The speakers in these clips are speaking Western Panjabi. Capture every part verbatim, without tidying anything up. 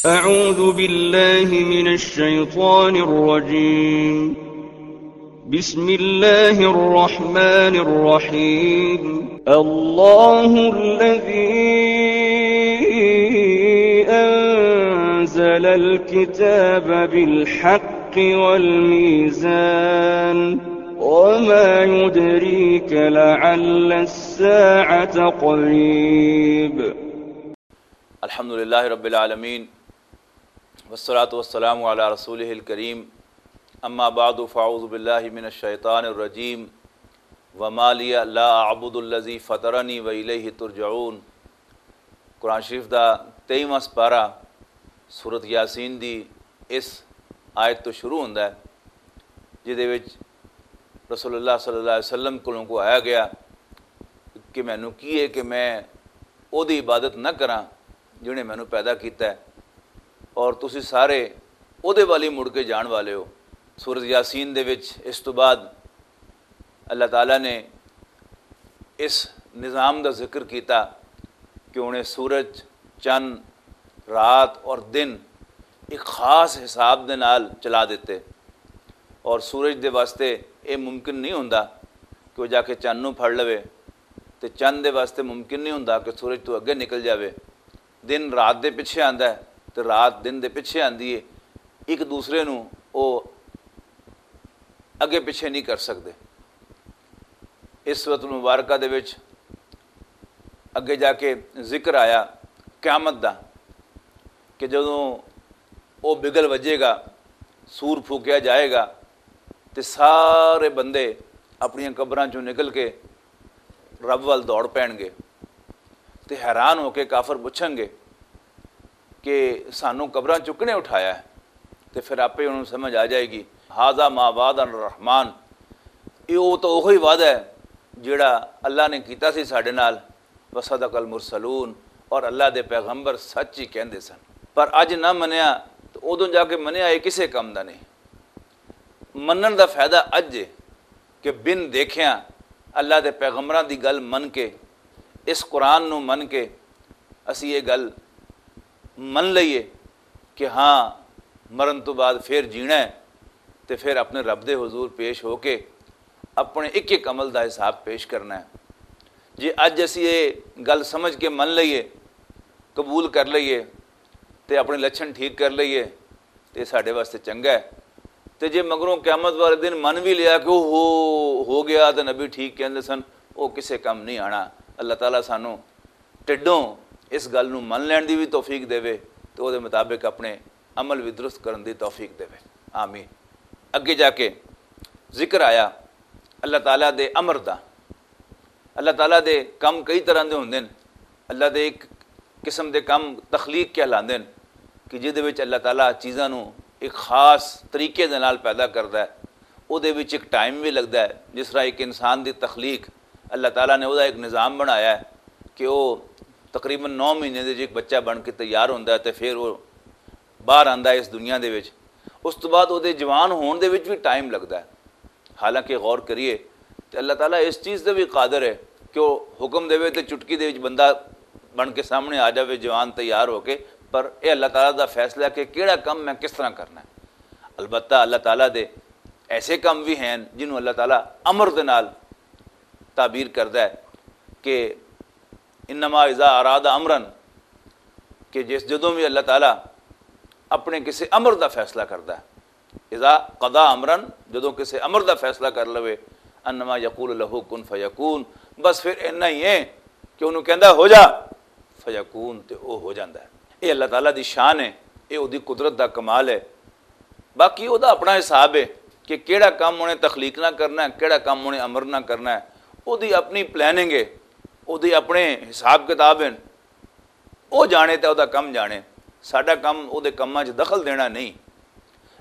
أعوذ بالله من الشيطان الرجيم. بسم الله الرحمن الرحيم. الله الذي أنزل الكتاب بالحق والميزان. وما يدريك لعل الساعة قريب. الحمد لله رب العالمين، والصلاة والسلام على رسوله الكريم. أما بعد، فأعوذ بالله من الشيطان الرجيم. وما لي لا أعبد الذي فطرني وإليه ترجعون۔ قرآن شریف دا تئیواں سپارہ سورت یاسین دی اس آیت تو شروع ہوندا ہے، جس دے وچ رسول اللہ صلی اللہ علیہ وسلم کولوں کو آیا گیا کہ مینوں کی ہے کہ میں او دی عبادت نہ کراں جنہیں مینوں پیدا کیتا ہے، اور تسی سارے او دے والی مڑ کے جان والے ہو۔ سورت یاسین دے وچ اس تو بعد اللہ تعالیٰ نے اس نظام دا ذکر کیتا کہ انہیں سورج، چند، رات اور دن ایک خاص حساب دے نال چلا دیتے، اور سورج دے واسطے اے ممکن نہیں ہوندا کہ وہ جا کے چند نوں پھڑ لوے، تے چند دے واسطے ممکن نہیں ہوندا کہ سورج تو اگے نکل جاوے۔ دن رات دے پیچھے آندا ہے تے رات دن دے پیچھے آندی ہے، ایک دوسرے نوں او اگے پیچھے نہیں کر سکدے۔ اس سورت المبارکہ دے وچ اگے جا کے ذکر آیا قیامت دا، کہ جدوں او بگل وجے گا، سور پھوکیا جائے گا، تے سارے بندے اپنیاں قبراں چوں نکل کے رب ول دوڑ پین گے، تے حیران ہو کے کافر پوچھن گے کہ سانوں قبراں چوں کنے اٹھایا ہے؟ تے پھر آپے انہوں سمجھ آ جائے گی، ھذا ما وعدنا الرحمن، یہ وہ تو وہی وعدہ ہے جڑا اللہ نے کیتا سی ساڈے نال۔ وصدق المرسلون، اور اللہ دے پیغمبر سچ ہی کہندے سن۔ پر اج نہ منیا تے ادوں جا کے منیا، یہ کسے کم دا نہیں۔ منن دا فائدہ اج ہے کہ بن دیکھیا اللہ دے پیغمبراں دی گل من کے، اس قرآن نو من کے، اسی یہ گل من لئیے کہ ہاں، مرن تو بعد پھر جینا ہے، تے پھر اپنے رب دے حضور پیش ہو کے اپنے ایک ایک عمل دا حساب پیش کرنا ہے۔ جے اج اسی یہ گل سمجھ کے من لئیے، قبول کر لئیے، تے اپنے لچھن ٹھیک کر لئیے، تے ساڈے واسطے چنگا ہے۔ تے جے مگروں قیامت والے دن من بھی لیا کہ وہ ہو، ہو گیا تے نبی ٹھیک کہندے سن، وہ کسے کم نہیں آنا۔ اللہ تعالیٰ سانوں ٹڈوں اس گل نوں من لین دی بھی توفیق دے، تے وہ دے مطابق اپنے عمل بھی درست کرن دی توفیق دے۔ آمین۔ اگے جا کے ذکر آیا اللہ تعالیٰ دے امر دا۔ اللہ تعالیٰ دے کم کئی طرح دے ہوندے نے۔ اللہ دے ایک قسم دے کم تخلیق کہلاندے نے کہ جس دے وچ اللہ تعالیٰ چیزاں نوں ایک خاص طریقے دے نال پیدا کردا ہے۔ او دے وچ ایک ٹائم بھی لگدا ہے۔ جس طرح ایک انسان دی تخلیق، اللہ تعالیٰ نے او دا ایک نظام بنایا ہے کہ او تقریباً نو مہینے دے وچ ایک بچہ بن کے تیار ہوندا ہے تے پھر او باہر آندا ہے اس دنیا دے وچ۔ اس تو بعد او دے جوان ہون دے وچ بھی ٹائم لگدا ہے۔ حالانکہ غور کریے تے اللہ تعالیٰ اس چیز تے بھی قادر ہے کہ وہ حکم دے تے چٹکی دے وچ بندہ بن کے سامنے آ جاوے، جوان تیار ہو کے۔ پر اے اللہ تعالیٰ دا فیصلہ ہے کہ کیڑا کم میں کس طرح کرنا ہے۔ البتہ اللہ تعالیٰ دے ایسے کم بھی ہیں جنہوں اللہ تعالیٰ امر دے نال تعبیر کردا ہے کہ انما اذا اراد امرن، کہ جس، جدوں بھی اللہ تعالیٰ اپنے کسی امر دا فیصلہ کردا ہے، اذا قضا امرن، جدوں کسی امر دا فیصلہ کر لوے، انما یقول لہ کن فیکون، بس پھر اتنا ہی ہے کہ انہوں کہندا ہو جا، فیکون، تے او ہو جاندا ہے۔ یہ اللہ تعالیٰ دی شان ہے، یہ او دی قدرت دا کمال ہے۔ باقی او دا اپنا حساب ہے کہ کیڑا کم انہیں تخلیق نہ کرنا ہے، کیڑا کم انہیں امر نہ کرنا ہے۔ او دی اپنی پلاننگ ہے، او دی اپنے حساب کتاب ہیں۔ او جانے تے او دا کم جانے۔ ساڈا کم او دے کماں چ دخل دینا نہیں۔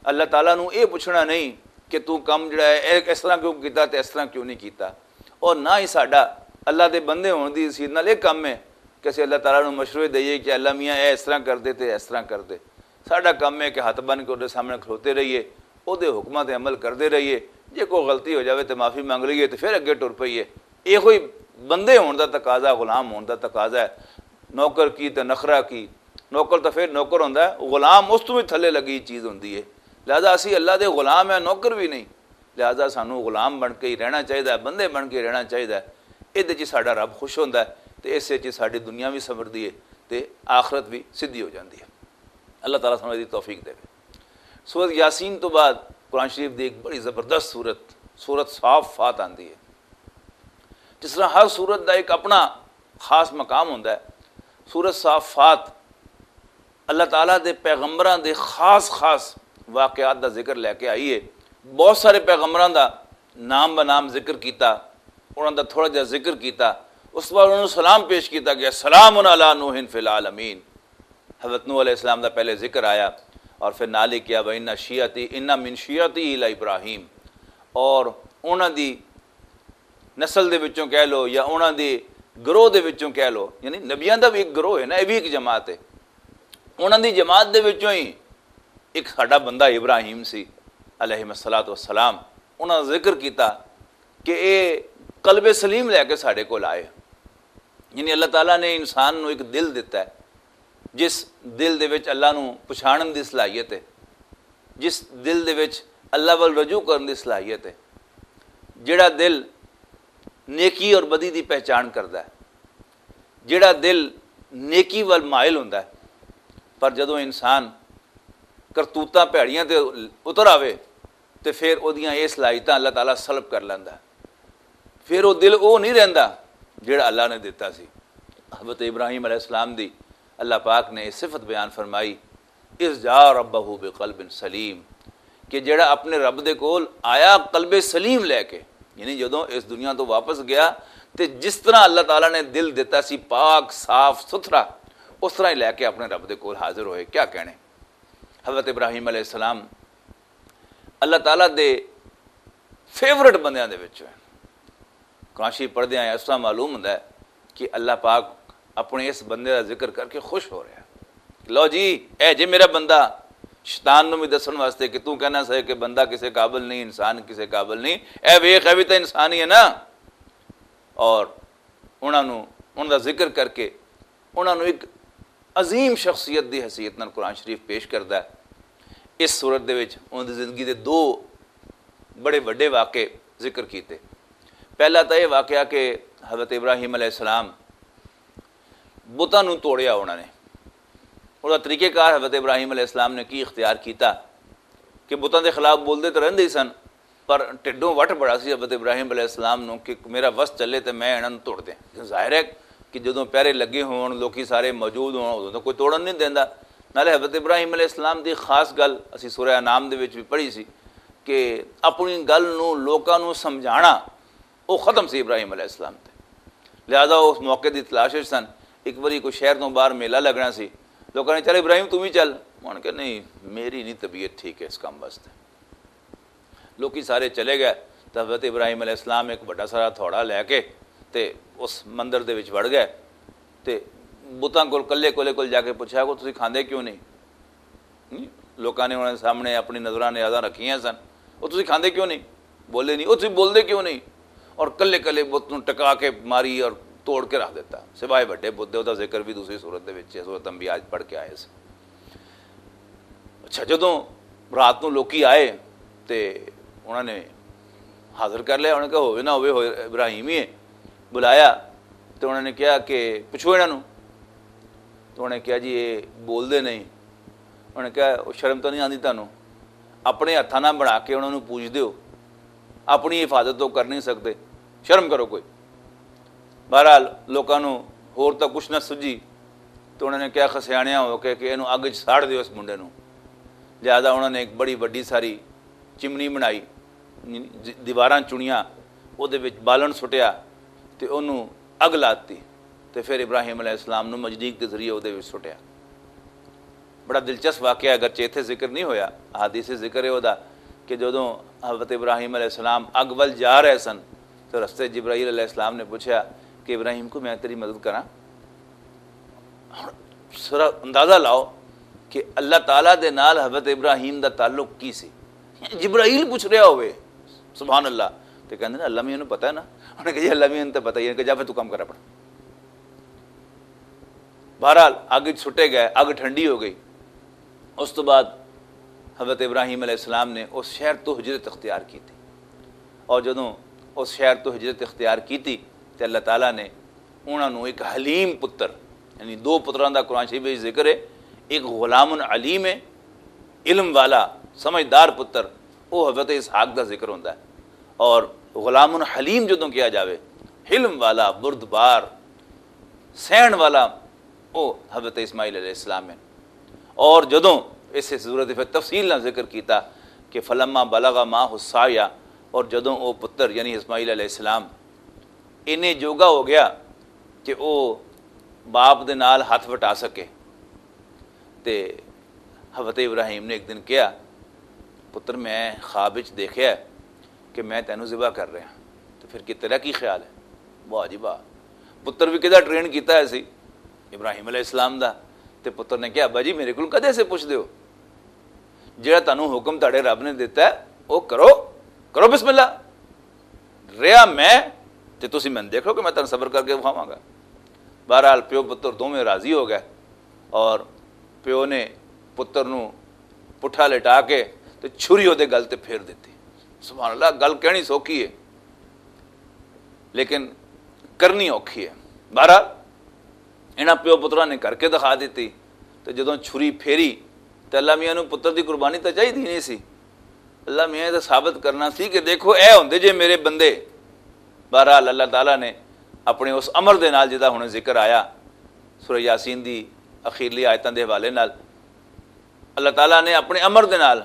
اللہ تعالیٰ نوں اے پوچھنا نہیں کہ تو کم جڑا ہے، اے اس طرح کیوں کیتا تے اس طرح کیوں نہیں کیتا۔ اور نہ ہی ساڈا اللہ دے بندے ہون دی حیثیت نال اے کم ہے کہ اسی اللہ تعالیٰ نوں مشورے دئیے کہ اللہ میاں، اے اس طرح کر دے تے اس طرح کر دے۔ ساڈا کم ہے کہ ہاتھ بن کے اودے سامنے کھلوتے رہیے، اودے حکماں تے عمل کردے رہیے۔ جے کوئی غلطی ہو جاوے تے معافی منگ لئیے تے پھر اگے ٹر پئیے۔ ایہو ہی بندے ہون دا تقاضا، غلام ہون دا تقاضا ہے۔ نوکر کی تے نخرہ کی، نوکر تو پھر نوکر ہوندا ہے، غلام اس تو بھی تھلے لگی چیز ہوندی ہے۔ لہذا اسی اللہ دے غلام ہیں، نوکر بھی نہیں۔ لہذا سانو غلام بن کے ہی رہنا چاہیدا ہے، بندے بن کے رہنا چاہیدا ہے۔ اس دے وچ ساڈا رب خوش ہوندا ہے، تے اس وچ ساڈی دنیا بھی سنوردی ہے، تے آخرت بھی سدھی ہو جاندی ہے۔ اللہ تعالیٰ سانو اس دی توفیق دے۔ سورت یاسین تو بعد قرآن شریف دی ایک بڑی زبردست سورت، سورت صافات آندی ہے۔ جس طرح ہر سورت دا ایک اپنا خاص مقام ہوندا ہے، سورت صافات اللہ تعالیٰ دے پیغمبراں دے خاص خاص واقعات دا ذکر لے کے آئی ہے۔ بہت سارے پیغمبراں دا نام بہ نام ذکر کیتا، انہاں دا تھوڑا جہا ذکر کیتا، اس بعد انہاں نوں سلام پیش کیتا گیا، سلام علی نوح فی العالمین۔ حضرت نوح علیہ السلام دا پہلے ذکر آیا، اور پھر نال ہی کیا، وَإِنَّ شِيعَتِي، إِنَّ مِنْ شِيعَتِهِ لَإِبْرَاهِيمَ، اور انہاں دی نسل دے وچوں کہہ لو یا انہاں دے گروہ دے وچوں کہہ لو، یعنی نبیاں دا بھی ایک گروہ ہے نا، یہ بھی ایک جماعت ہے۔ انہاں دی جماعت دے وچوں ہی ایک ساڈا بندہ ابراہیم سی علیہ الصلوۃ والسلام، انہاں ذکر کیتا کہ اے قلب سلیم لے کے ساڈے کول آئے۔ یعنی اللہ تعالیٰ نے انسان نوں ایک دل دتا ہے، جس دل دے وچ اللہ نوں پچھانن دی صلاحیت ہے، جس دل دے وچ اللہ ول رجوع کرن دی صلاحیت ہے، جڑا دل نیکی اور بدی دی پہچان کردا ہے، جڑا دل نیکی ول مائل ہوندا ہے۔ پر جدوں انسان کرتوتاں بھیڑیاں تے اتر آوے، تے پھر اودیاں اے صلاحیتاں اللہ تعالیٰ سلب کر لیندا ہے۔ پھر او دل او نہیں رہندا جڑا اللہ نے دتا سی۔ حضرت ابراہیم علیہ السلام دی اللہ پاک نے یہ صفت بیان فرمائی، اذ جاء ربہ بقلب سلیم، کہ جڑا اپنے رب دے کول آیا قلب سلیم لے کے، یعنی جدوں اس دنیا تو واپس گیا، تے جس طرح اللہ تعالیٰ نے دل دتا سی پاک صاف ستھرا، اس طرح ہی لے کے اپنے رب دے کول حاضر ہوئے۔ کیا کہنے، حضرت ابراہیم علیہ السلام اللہ تعالیٰ دے فیورٹ بندیاں دے وچ ہیں۔ قرآن شریف پڑھدے ہیں اس طرح معلوم ہوندا ہے کہ اللہ پاک اپنے اس بندے دا ذکر کر کے خوش ہو رہا ہے۔ لو جی، اے جے میرا بندہ، شیطان نوں بھی دسن واسطے کہ تو کہنا سا کہ بندہ کسے قابل نہیں، انسان کسے قابل نہیں، اے ویکھ، اے بھی تو انسان ہی ہے نا۔ اور انہاں نوں، انہاں دا ذکر کر کے انہاں نوں ایک عظیم شخصیت دی حیثیت نال قرآن شریف پیش کردا ہے۔ اس صورت دے وچ انہاں دی زندگی دے دو بڑے وڈے واقعے ذکر کیتے۔ پہلا تاں یہ واقعہ کہ حضرت ابراہیم علیہ السلام بتاں نوں توڑیا انہاں نے۔ انہاں دا طریقہ کار حضرت ابراہیم علیہ السلام نے کی اختیار کیتا کہ بتاں دے خلاف بولدے تے رہندے ہی سن، پر ٹھڈوں وٹ بڑا سی حضرت ابراہیم علیہ السلام نوں کہ میرا وس چلے تے میں انہاں نوں توڑ دیاں۔ ظاہر ہے کہ جدوں پہرے لگے ہون، لوکی سارے موجود ہون، ادوں تاں کوئی توڑن نہیں دیندا۔ نالے حضرت ابراہیم علیہ السلام دی خاص گل اسی سورہ انعام دے وچ بھی پڑھی سی کہ اپنی گل نوں لوکاں نوں سمجھانا، او ختم سی ابراہیم علیہ السلام تے۔ لہذا او اس موقع دی تلاش وچ سن۔ ایک واری کوئی شہر تو باہر میلہ لگنا سی، لوکاں نے، "چل ابراہیم، توں بھی چل۔" انہاں نے کہا، "نہیں، میری نہیں طبیعت ٹھیک ہے اس کام واسطے۔" لوکی سارے چلے گئے۔ تے حضرت ابراہیم علیہ السلام ایک بڑا سارا تھوڑا لے کے تے اس مندر دے وچ وڑ گئے۔ تے بتاں کول، کلے کولے کول جا کے پوچھا، "کو تسی کھاندے کیوں نہیں؟" نہیں؟ لوکاں نے انہاں دے سامنے اپنی نظراں نیازاں رکھیاں سن۔ "او تسی کھاندے کیوں نہیں؟ بولے نہیں، او تسی بولدے کیوں نہیں؟" اور کلے کلے بت نوں ٹکا کے ماری اور توڑ کے رکھ دیتا۔ سوائے بڑے بت دے، او دا ذکر بھی دوسری صورت دے وچ ہے، صورت انبیاء پڑھ کے آئے سی۔ اچھا، جدوں رات نوں لوکی آئے تے انہاں نے حاضر کر لیا، انہاں نے کہا، "ہووے نہ ہووے، ہوئے ابراہیم ہی ہے۔" بلایا تے انہاں نے کہا کہ، "پوچھو انہاں نوں۔" تے انہاں نے کہا، "جی، یہ بول دے نہیں۔" انہاں نے کہا، "او شرم تو نہیں آندی تانوں؟ اپنے ہتھاں نال بنا کے انہاں نوں پوچھ دیو، اپنی حفاظت تو کر نہیں سکدے، شرم کرو کوئی۔" بہرحال، لوکاں نوں ہور تاں کچھ نہ سجھی، تے انہاں نے کہا خسیانیاں ہو کے کہ اینوں اگ وچ ساڑ دیو اس منڈے نوں۔ لہذا انہاں نے ایک بڑی وڈی ساری چمنی بنائی، دیواراں چنیاں، او دے وچ بالن سٹیا تے اونوں اگ لاتی، تے پھر ابراہیم علیہ السلام نوں مجنیق دے ذریعے او دے وچ سٹیا۔ بڑا دلچسپ واقعہ ہے، اگرچہ اتھے ذکر نہیں ہویا، احادیث ذکر ہے او دا کہ جدوں حضرت ابراہیم علیہ السلام اگ ول جا رہے سن تو رستے جبرائیل علیہ السلام نے پوچھا کہ، "ابراہیم، کو میں تیری مدد کراں؟" ہن ذرا اندازہ لاؤ کہ اللہ تعالیٰ دے نال حضرت ابراہیم دا تعلق کی سی۔ جبرائیل پوچھ رہا ہوئے، سبحان اللہ، تے کہندے نے، "اللہ میاں نوں پتہ ہے نا۔" انہاں نے کہا، "جی، اللہ میاں نوں تے پتہ ہی ہے۔" کہ، "جا پھر تو کم کر اپنا۔" بہرحال، اگ وچ سٹے گئے، اگ ٹھنڈی ہو گئی۔ اس تو بعد حضرت ابراہیم علیہ السلام نے اس شہر تو ہجرت اختیار کی تھی، اور جدوں اس شہر تو ہجرت اختیار کی تھی، تے اللہ تعالیٰ نے انہاں نوں ایک حلیم پتر، یعنی دو پتراں دا قرآن شریف وچ ذکر ہے، ایک غلام علیم ہے، علم والا، سمجھدار پتر، وہ حضرت اسحاق دا ذکر ہوندا ہے۔ اور غلام حلیم جدوں کیا جاوے، حلم والا، بردبار، سہن والا، وہ حضرت اسماعیل علیہ السلام ہیں۔ اور جدوں اس صورت پھر تفصیل نہ ذکر کیتا کہ فلما بلغ ما حسایا، اور جدوں وہ پتر یعنی اسماعیل علیہ السلام انہیں جوگا ہو گیا کہ وہ باپ دے نال ہاتھ وٹا سکے، تے حضرت ابراہیم نے ایک دن کہا، "پتر، میں خواب وچ دیکھیا ہے کہ میں تینوں ذبح کر رہا ہاں، تو پھر کہ تیرا کی خیال ہے؟" واہ جی واہ، پتر بھی کدا ٹرین کیتا ہے سی ابراہیم علیہ السلام دا۔ تے پتر نے کہا، "ابا جی، میرے کول کدے سے پوچھ دیو؟ جڑا تانوں حکم تاڑے رب نے دیتا ہے، وہ کرو، کرو بسم اللہ۔ رہیا میں، تے تسی میں دیکھو کہ میں تانوں صبر کر کے وکھاواں گا۔" بہرحال، پیو پتر دوویں راضی ہو گئے، اور پیو نے پتر نوں پٹھا لٹا کے تے چھری اودے گل تے پھیر دتی۔ سبحان اللہ، گل کہنی سوکھی ہے، لیکن کرنی اوکھی ہے۔ بہرحال، انہاں پیو پتراں نے کر کے دکھا دتی۔ تے جدوں چھری پھیری، تے اللہ میاں نوں پتر دی قربانی تاں چاہیدی نہیں سی۔ اللہ میاں نے ثابت کرنا سی کہ دیکھو، اے ہوندے جے میرے بندے۔ بہرحال، اللہ تعالیٰ نے اپنے اس امر دے نال، جدا ہن ذکر آیا سورہ یاسین دی اخیرلی آیتاں دے حوالے نال، اللہ تعالیٰ نے اپنے امر دے نال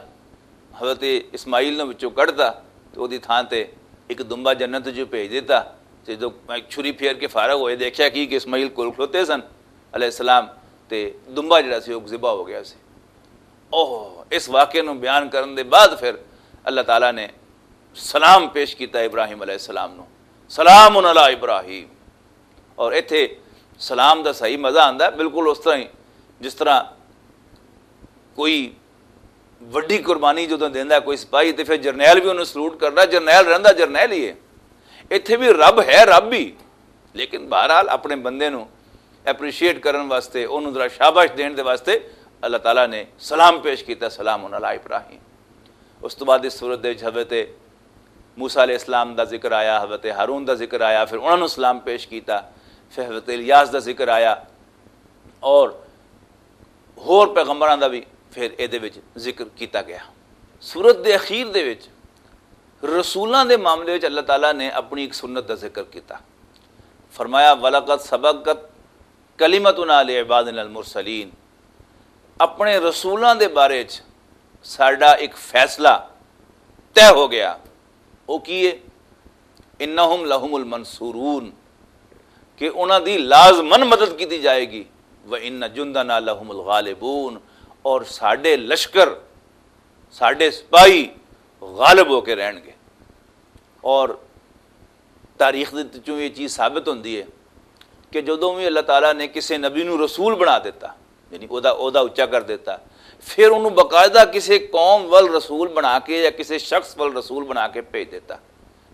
حضرت اسماعیل نوں وچوں کڈتا، تے اودی تھاں تے ایک دمبا جنت جو بھیج دیتا۔ تے جدوں چھری پھیر کے فارغ ہوئے، دیکھیا کی کہ اسماعیل کول کھلوتے سن علیہ السلام، تے دمبا جڑا سی، او ذبح ہو گیا سی۔ اوہ، اس واقعے نوں بیان کرن دے بعد پھر اللہ تعالیٰ نے سلام پیش کیتا ابراہیم علیہ السلام نوں، "سلام علی ابراہیم۔" اور ایتھے سلام دا صحیح مزہ آندا ہے، بالکل اس طرح ہی جس طرح کوئی وڈی قربانی جدوں دیندا ہے کوئی سپاہی، تے پھر جرنیل بھی انہوں سلوٹ کردا، جرنیل رہندا جرنیل ہی ہے۔ ایتھے بھی رب ہے، رب بھی، لیکن بہرحال اپنے بندے نوں اپریشیٹ کرن واسطے، انہوں ذرا شاباش دین دے واسطے اللہ تعالیٰ نے سلام پیش کیتا، "سلام علی ابراہیم۔" اس تو بعد اس صورت دے وچ حضرت موسیٰ علیہ السلام دا ذکر آیا، حضرت ہارون دا ذکر آیا، پھر انہاں نوں سلام پیش کیتا، پھر حضرت الیاس دا ذکر آیا، اور ہور پیغمبراں دا بھی پھر اے دے وچ ذکر کیتا گیا۔ سورت دے اخیر دے وچ رسولاں دے معاملے وچ اللہ تعالیٰ نے اپنی ایک سنت دا ذکر کیتا۔ فرمایا، "ولقد سبقت کلمتنا لعبادنا المرسلین۔" اپنے رسولاں دے بارے وچ ساڈا ایک فیصلہ طے ہو گیا۔ وہ کی ہے؟ "انہم لہم المنصورون"، کہ انہاں دی لازمن مدد کیتی جائے گی۔ "وان جندنا لہم الغالبون"، اور ساڈے لشکر، ساڈے سپاہی غالب ہو کے رہن گے۔ اور تاریخ دے وچوں یہ چیز ثابت ہوندی ہے کہ جدوں بھی اللہ تعالیٰ نے کسی نبی نوں رسول بنا دیتا، یعنی او دا عہدہ اچا کر دیتا، پھر انہوں باقاعدہ کسی قوم ول رسول بنا کے یا کسی شخص ول رسول بنا کے بھیج دیتا۔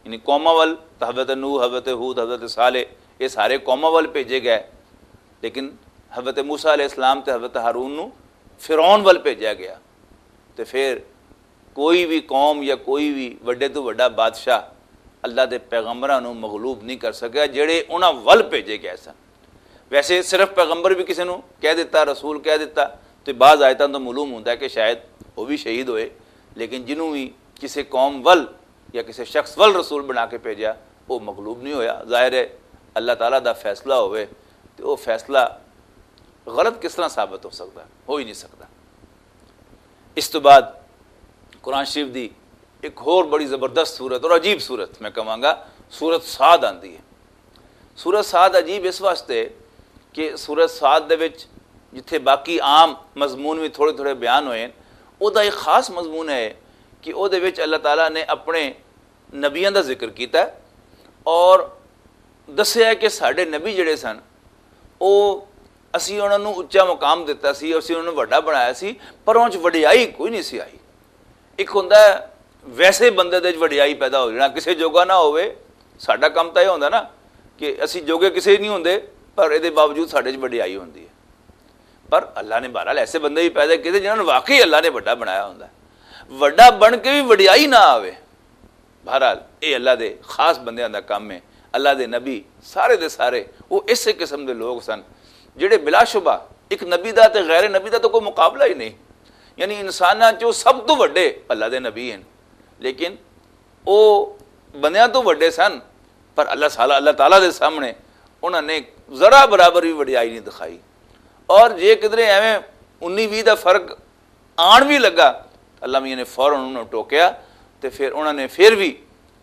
یعنی قوماں ول تاں حضرت نوح، حضرت ہود، حضرت صالح، یہ سارے قوماں ول بھیجے گئے، لیکن حضرت موسیٰ علیہ السلام تے حضرت ہارون نوں فرعون ول بھیجا گیا۔ تے پھر کوئی بھی قوم یا کوئی بھی وڈے تو وڈا بادشاہ اللہ دے پیغمبراں نوں مغلوب نہیں کر سکیا، جڑے انہاں ول بھیجے گئے سن۔ ویسے صرف پیغمبر بھی کسی نوں کہہ دیتا، رسول کہہ دیتا، تے بعض آیتاں تو معلوم ہوندا ہے کہ شاید وہ بھی شہید ہوئے، لیکن جنوں بھی کسی قوم ول یا کسی شخص ول رسول بنا کے بھیجا، وہ مغلوب نہیں ہویا۔ ظاہر ہے، اللہ تعالیٰ دا فیصلہ ہوئے، تے وہ فیصلہ غلط کس طرح ثابت ہو سکتا ہے؟ ہو ہی نہیں سکتا۔ اس تو بعد قرآن شریف دی ایک ہور بڑی زبردست صورت اور عجیب صورت میں کہاں گا، سورت سعد آندی ہے۔ سورت سعد عجیب اس واسطے کہ سورت سعد دے وچ جتھے باقی عام مضمون بھی تھوڑے تھوڑے بیان ہوئے ہیں، او دا ایک خاص مضمون ہے کہ او دے وچ اللہ تعالیٰ نے اپنے نبیاں دا ذکر کیتا ہے اور دسیا ہے کہ ساڈے نبی جڑے سن، او اسی انہاں نوں اچا مقام دتا سی، اسی انہاں نوں وڈا بنایا سی، پر انہاں چ وڈیائی کوئی نہیں سی آئی۔ ایک ہوندا ہے ویسے بندے دے وچ وڈیائی پیدا ہو جانا، کسے جوگا نہ ہوئے۔ ساڈا کم تاں یہ ہوندا نا کہ اسی جوگے کسے نہیں ہوندے، پر اے دے باوجود ساڈے وچ وڈیائی ہوندی ہے۔ پر اللہ نے بہرحال ایسے بندے بھی پیدا کیتے جنہوں نے واقعی اللہ نے وڈا بنایا ہوندا ہے۔ وڈا بن کے بھی وڈیائی نہ آوے۔ بہرحال، اے اللہ دے خاص بندیاں دا کم ہے۔ اللہ دے نبی سارے دے سارے وہ اسے قسم دے لوگ سن، جڑے بلا شبہ ایک نبی دا تے غیر نبی دا تو کوئی مقابلہ ہی نہیں۔ یعنی انساناں چوں سب تو وڈے اللہ دے نبی ہیں، لیکن وہ بندیاں تو وڈے سن، پر اللہ سال اللہ تعالیٰ دے سامنے انہاں نے ذرا برابر بھی وڈیائی نہیں دکھائی۔ اور جے کدرے ایویں انی ویہ دا فرق آن بھی لگا، اللہ میاں نے فوراً انہوں ٹوکیا۔ تے پھر انہوں نے پھر بھی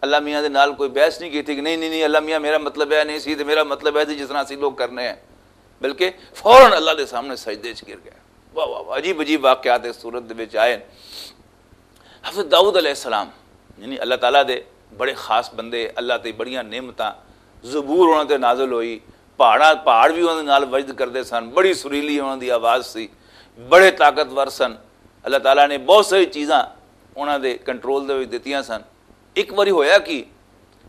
اللہ میاں دے نال کوئی بحث نہیں کی تھی کہ نہیں نہیں نہیں، اللہ میاں میرا مطلب ہے نہیں سی، تے میرا مطلب ہے سی جس طرح اسی لوگ کرنے ہیں، بلکہ فوراً اللہ دے سامنے سجدے چ گر گئے۔ واہ واہ واہ، عجیب عجیب واقعات اس صورت دے وچ آئے۔ حضرت داؤد علیہ السلام، یعنی اللہ تعالیٰ دے بڑے خاص بندے، اللہ تے بڑیاں نعمتاں، زبور انہاں تے نازل ہوئی، پہاڑاں پہاڑ بھی انہاں دے نال وجد کردے سن، بڑی سریلی انہاں دی آواز سی، بڑے طاقتور سن۔ اللہ تعالیٰ نے بہت ساری چیزاں انہاں دے کنٹرول دے وچ دتیاں سن۔ ایک واری ہویا کی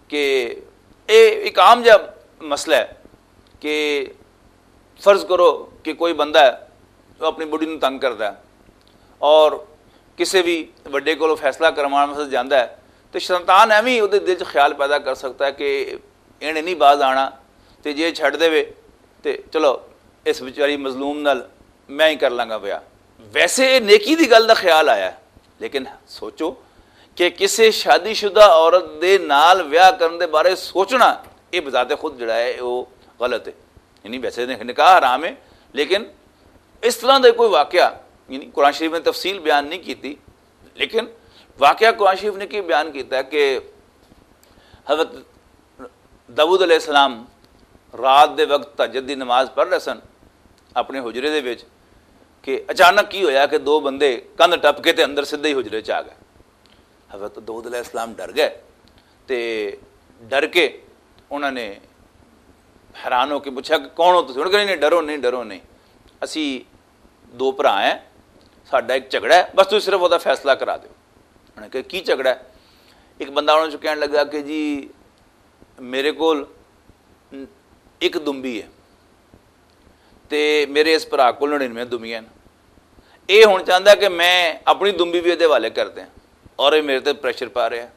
کہ اے ایک عام جہا مسئلہ ہے کہ فرض کرو کہ کوئی بندہ ہے، وہ اپنی بڑی نوں تنگ کردا ہے اور کسے بھی وڈے کولوں فیصلہ کرواؤن واسطے جاندا ہے، تے شیطان ایویں اودے دل چ خیال پیدا کر سکتا ہے کہ اینے نہیں باز آنا، تے جے چھڈ دے وے تے چلو، اس بیچاری مظلوم نال میں ہی کر لاں گا ویا۔ ویسے یہ نیکی دی گل دا خیال آیا ہے، لیکن سوچو کہ کسے شادی شدہ عورت دے نال ویاہ کرن دے بارے سوچنا، یہ بذات خود جڑا ہے وہ غلط ہے۔ یعنی ویسے نکاح حرام ہے، لیکن اس طرح دا کوئی واقعہ، یعنی قرآن شریف نے تفصیل بیان نہیں کیتی، لیکن واقعہ قرآن شریف نے کی بیان کیتا ہے کہ حضرت داؤد علیہ السلام رات دے وقت تہجد دی نماز پڑھ رہے سن اپنے حجرے دے وچ، کہ اچانک کی ہویا کہ دو بندے کندھ ٹپ کے تے اندر سدھے ہی حجرے چ آ گئے۔ حضرت داؤد علیہ السلام ڈر گئے تے ڈر کے انہوں نے حیران ہو کے پوچھا کہ کون ہو تسی؟ انہوں نے کہا، نہیں نہیں، ڈرو نہیں، ڈرو نہیں، اسی دو بھرا ہیں، ساڈا ایک جھگڑا ہے، بس تسی صرف وہ فیصلہ کرا دیو۔ انہوں نے کہا، کی جھگڑا ہے؟ ایک بندہ انہوں نے کہنے لگا کہ جی، میرے کول ایک دمبی ہے تے میرے اس بھرا کول نڑینوے دمبیاں نے۔ یہ ہن چاہندا کہ میں اپنی دمبی بھی ادے حوالے کر دیاں، اور یہ میرے تے پریشر پا رہا ہے۔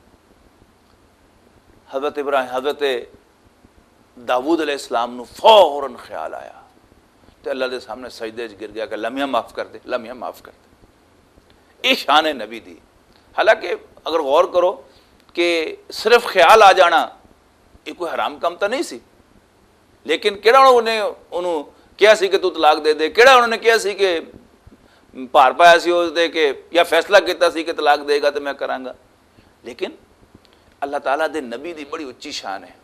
حضرت ابراہیم، حضرت داؤد علیہ السلام نو فوراً خیال آیا تے اللہ دے سامنے سجدے وچ گر گیا کہ اللہ میاں معاف کر دے، اللہ میاں معاف کر دے۔ یہ شان ہے نبی دی۔ حالانکہ اگر غور کرو کہ صرف خیال آ جانا، یہ کوئی حرام کام تو نہیں سی، لیکن کہڑا انہوں نے انہوں کہا سی کہ تو طلاق دے دے؟ کہڑا انہوں نے کہا سی کہ پار پایا سی اس دے کہ یا فیصلہ کیتا سی کہ طلاق دے گا تو میں کراں گا؟ لیکن اللہ تعالیٰ دے نبی دی بڑی اچھی شان ہے۔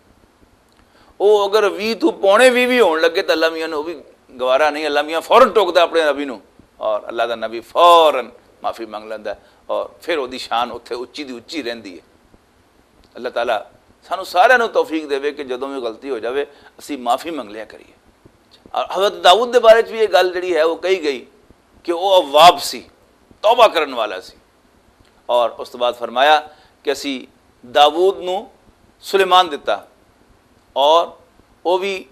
وہ اگر ویہ تو پونے ویہ بھی ہون لگے تو اللہ میاں نے وہ بھی گوارا نہیں۔ اللہ میاں فوراً ٹوکدا اپنے نبی نو، اور اللہ دا نبی فوراً معافی منگ لیندا ہے، اور پھر وہ دی شان اتھے اچی دی اچی رہندی ہے۔ اللہ تعالیٰ سانو سارے نو توفیق دے کہ جدوں بھی غلطی ہو جاوے، اسی معافی منگ لیا کریے۔ اور حضرت داؤد دے بارے چ بھی یہ گل جڑی ہے وہ کہی گئی کہ وہ اواب سی، توبہ کرن والا سی۔ اور اس تو بعد فرمایا کہ اسی داؤد نو سلیمان دتا، اور وہ بھی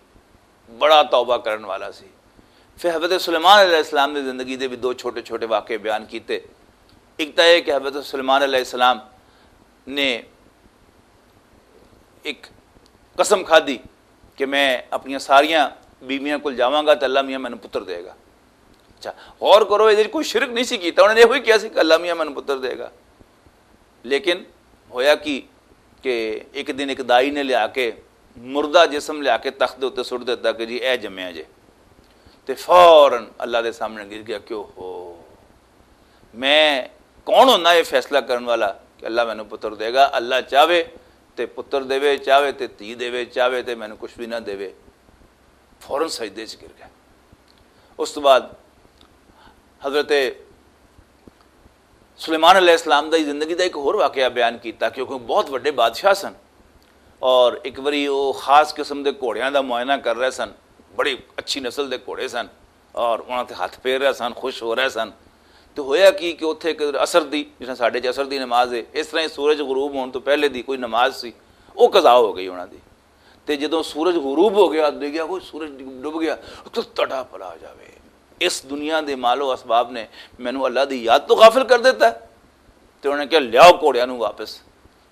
بڑا توبہ کرن والا سی۔ پھر حضرت سلیمان علیہ السلام نے زندگی دے بھی دو چھوٹے چھوٹے واقعے بیان کیتے۔ ایک تو یہ کہ حضرت سلیمان علیہ السلام نے ایک قسم کھادی کہ میں اپنی ساریاں بیویاں کول جاواں گا تے اللہ میاں مینوں پتر دے گا۔ اچھا، غور کرو، یہ کوئی شرک نہیں سی کیتا، انہوں نے یہ کیا سی کہ اللہ میاں مینوں پتر دے گا۔ لیکن ہویا کی کہ ایک دن ایک دائی نے لیا کے مردہ جسم لیا کے تخت دے اُتے سٹ دیتا کہ جی اے جمیا جے۔ تے فوراً اللہ دے سامنے گر گیا کہ اوہو، میں کون ہونا یہ فیصلہ کرن والا کہ اللہ مینوں پتر دے گا؟ اللہ چاہے تے پتر دے، چاہے تے تھی دے، چاہے تے مینوں کچھ بھی نہ دے۔ فوراً سجدے چ گر گیا۔ اس تو بعد حضرت سلیمان علیہ السلام دی زندگی دا ایک ہور واقعہ بیان کیتا، کیونکہ وہ بہت وڈے بادشاہ سن، اور ایک واری وہ خاص قسم دے گھوڑیاں دا معائنہ کر رہے سن، بڑی اچھی نسل دے گھوڑے سن، اور انہاں تے ہاتھ پھیر رہے سن، خوش ہو رہے سن۔ تو ہویا کی کہ اتھے ایک عصر دی، جس طرح ساڈے چ عصر دی نماز ہے، اس طرح ہی سورج غروب ہون تو پہلے دی کوئی نماز سی، وہ قضا ہو گئی انہاں دی۔ تے جدوں سورج غروب ہو گیا، دیکھیا کوئی سورج ڈب گیا، تو تڑا پلا جاوے۔ اس دنیا دے مال و اسباب نے مینوں اللہ دی یاد تو غافل کر دیتا ہے۔ تے انہاں نے کہا، "لیاؤ گھوڑیاں نوں واپس۔"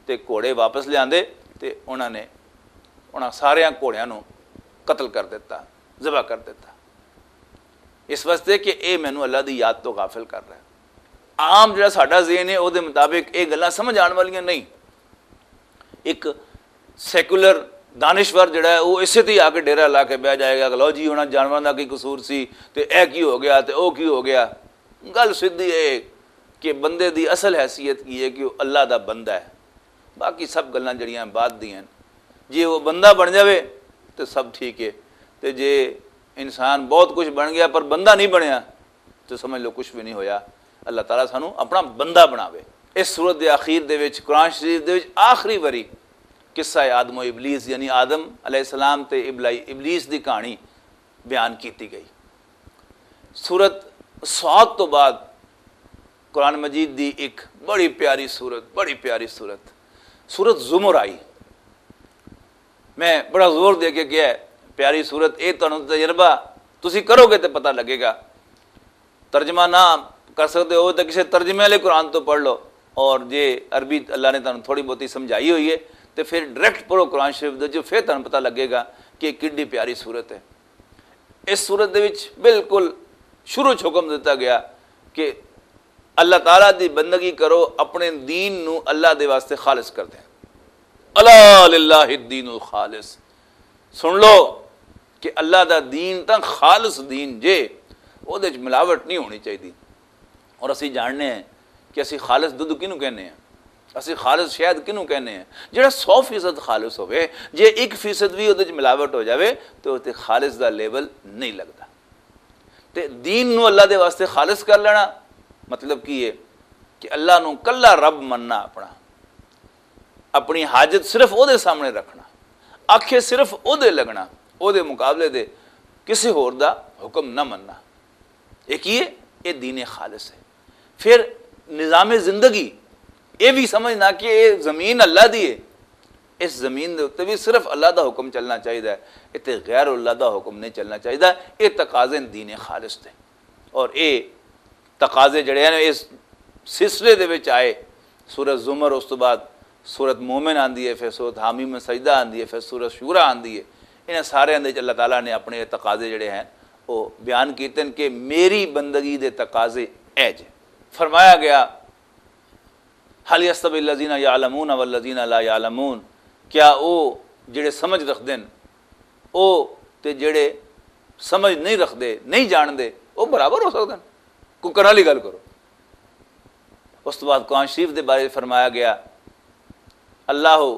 تے گھوڑے واپس لیاندے تے انہاں نے، انہاں ساریاں گھوڑیاں نوں قتل کر دیتا، ذبح کر دیتا، اس واسطے کہ اے مینوں اللہ دی یاد تو غافل کر رہا ہے۔ عام جڑا ساڈا ذہن ہے، او دے مطابق اے گلاں سمجھ آن والیاں نہیں۔ ایک سیکولر دانشور جڑا ہے، وہ اسے تے ہی آ کے ڈیرہ لا کے بہ جائے گا کہ لو جی، انہاں جانوراں دا کی قصور سی تے اے کی ہو گیا تے او کی ہو گیا۔ گل سیدھی اے کہ بندے دی اصل حیثیت کی ہے کہ وہ اللہ دا بندہ ہے۔ باقی سب گلاں جڑیاں بعد دی ہیں۔ جے وہ بندہ بن جاوے تے سب ٹھیک ہے، تے جے انسان بہت کچھ بن گیا پر بندہ نہیں بنیا، تے سمجھ لو کچھ بھی نہیں ہویا۔ اللہ تعالیٰ سانو اپنا بندہ بناوے۔ اس سورت دے آخر دے وچ، قرآن شریف دے وچ آخری واری قصہ آدم و ابلیس، یعنی آدم علیہ السلام تے ابلائی-، ابلیس دی کہانی بیان کیتی گئی۔ سورت سعد تو بعد قرآن مجید دی ایک بڑی پیاری سورت، بڑی پیاری سورت، سورت زمر آئی۔ میں بڑا زور دے کے کہا ہے، پیاری سورت، اے تانوں تجربہ تسی کرو گے تے پتہ لگے گا۔ ترجمہ نہ کر سکتے ہو تو کسی ترجمے والے قرآن تو پڑھ لو، اور جے عربی اللہ نے تانوں تھوڑی بہتی سمجھائی ہوئی ہے تو پھر ڈائریکٹ پڑھو قرآن شریف دے جو، پھر تانوں پتہ لگے گا کہ کڈی پیاری سورت ہے۔ اس سورت دے وچ بالکل شروع چ حکم دتا گیا کہ اللہ تعالیٰ دی بندگی کرو، اپنے دین نو اللہ دے واسطے خالص کر دیں۔ الا للہ الدین الخالص۔ سن لو کہ اللہ دا دین تاں خالص دین جے، او دے وچ ملاوٹ نہیں ہونی چاہیے۔ اور اسی جاننے ہیں کہ اسی خالص دودھ کینوں کہنے ہیں، اسی خالص شہد کینوں کہنے ہیں؟ جڑا سو فیصد خالص ہوئے، جے ایک فیصد بھی او دے وچ ملاوٹ ہو جاوے تو او تے خالص دا لیول نہیں لگدا۔ تے دین نو اللہ دے واسطے خالص کر لینا مطلب کی ہے؟ کہ اللہ نو کلا رب مننا اپنا، اپنی حاجت صرف او دے سامنے رکھنا، آکھے صرف او دے لگنا، او دے مقابلے دے کسی ہور دا حکم نہ مننا۔ یہ کی ہے؟ یہ دین خالص ہے۔ پھر نظام زندگی، یہ بھی سمجھنا کہ یہ زمین اللہ دی ہے، اس زمین دے اُتے بھی صرف اللہ دا حکم چلنا چاہیدا ہے، اتے غیر اللہ دا حکم نہیں چلنا چاہیدا۔ یہ تقاضے دین خالص دے۔ اور یہ تقاضے جڑے ہیں اس سلسلے دے وچ آئے، سورت زمر، اس تو بعد سورت مومن آندی ہے، پھر سورت حامی میں سجدہ آندی ہے، پھر سورت شورا آندی ہے۔ انہاں سارے دے وچ اللہ تعالیٰ نے اپنے تقاضے جڑے ہیں وہ بیان کیتے ہیں کہ میری بندگی دے تقاضے اے جے۔ فرمایا گیا، "هل يستوي الذين يعلمون والذين لا يعلمون؟" کیا او جڑے سمجھ رکھدے ہیں، او تے جڑے سمجھ نہیں رکھدے، نہیں جاندے، او برابر ہو سکدے ہیں؟ کوئی کرن والی گل کرو۔ اس تو بعد قرآن شریف دے بارے فرمایا گیا، اللہ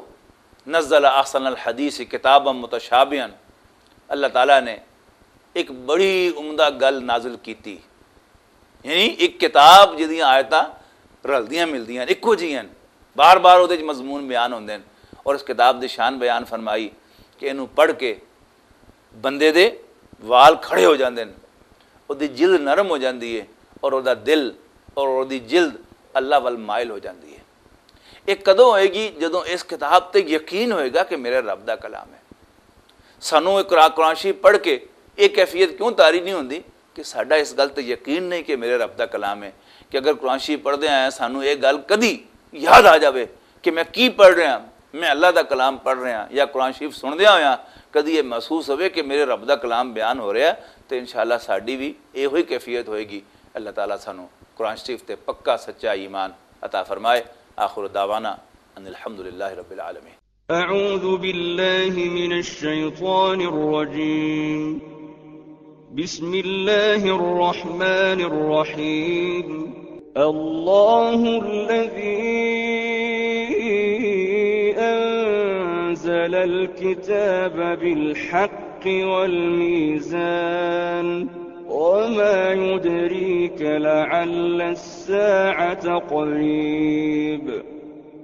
نزل احسن الحدیث کتابا متشابہا، اللہ تعالیٰ نے ایک بڑی عمدہ گل نازل کیتی، یعنی ایک کتاب جدیاں آیتاں رلدیاں ملدیاں ہن، اکو جیاں ہن، بار بار اودے وچ مضمون بیان ہوندے ہن، اور اس کتاب دی شان بیان فرمائی کہ اینوں پڑھ کے بندے دے وال کھڑے ہو جاندے ہن، اودی جلد نرم ہو جاندی ہے، اور اودی جلد اللہ ول مائل ہو جاندی ہے۔ یہ کدوں ہوئے گی؟ جدوں اس کتاب تے یقین ہوئے گا کہ میرے رب دا کلام ہے۔ سانوں یہ قرآن، قرآن شریف پڑھ کے یہ کیفیت کیوں طاری نہیں ہوندی کہ ساڈا اس گل تے یقین نہیں کہ میرے رب دا کلام ہے؟ کہ اگر قرآن شریف پڑھدے آئے سانوں یہ گل کدی یاد آ جاوے کہ میں کی پڑھ رہا، میں اللہ دا کلام پڑھ رہا، یا قرآن شریف سندیاں ہویاں کدی یہ محسوس ہوئے کہ میرے رب دا کلام بیان ہو رہا ہے، تو انشاءاللہ ساڈی بھی یہ ہوئی کیفیت ہوئے گی۔ اللہ تعالیٰ سانوں قرآن شریف تے پکا سچا ایمان عطا فرمائے۔ آخر دعوانا ان الحمدللہ رب العالمین۔ أعوذ بالله من الشيطان الرجيم. بسم الله الرحمن الرحيم. الله الذي أنزل الكتاب بالحق والميزان، وما يدريك لعل الساعة قريب.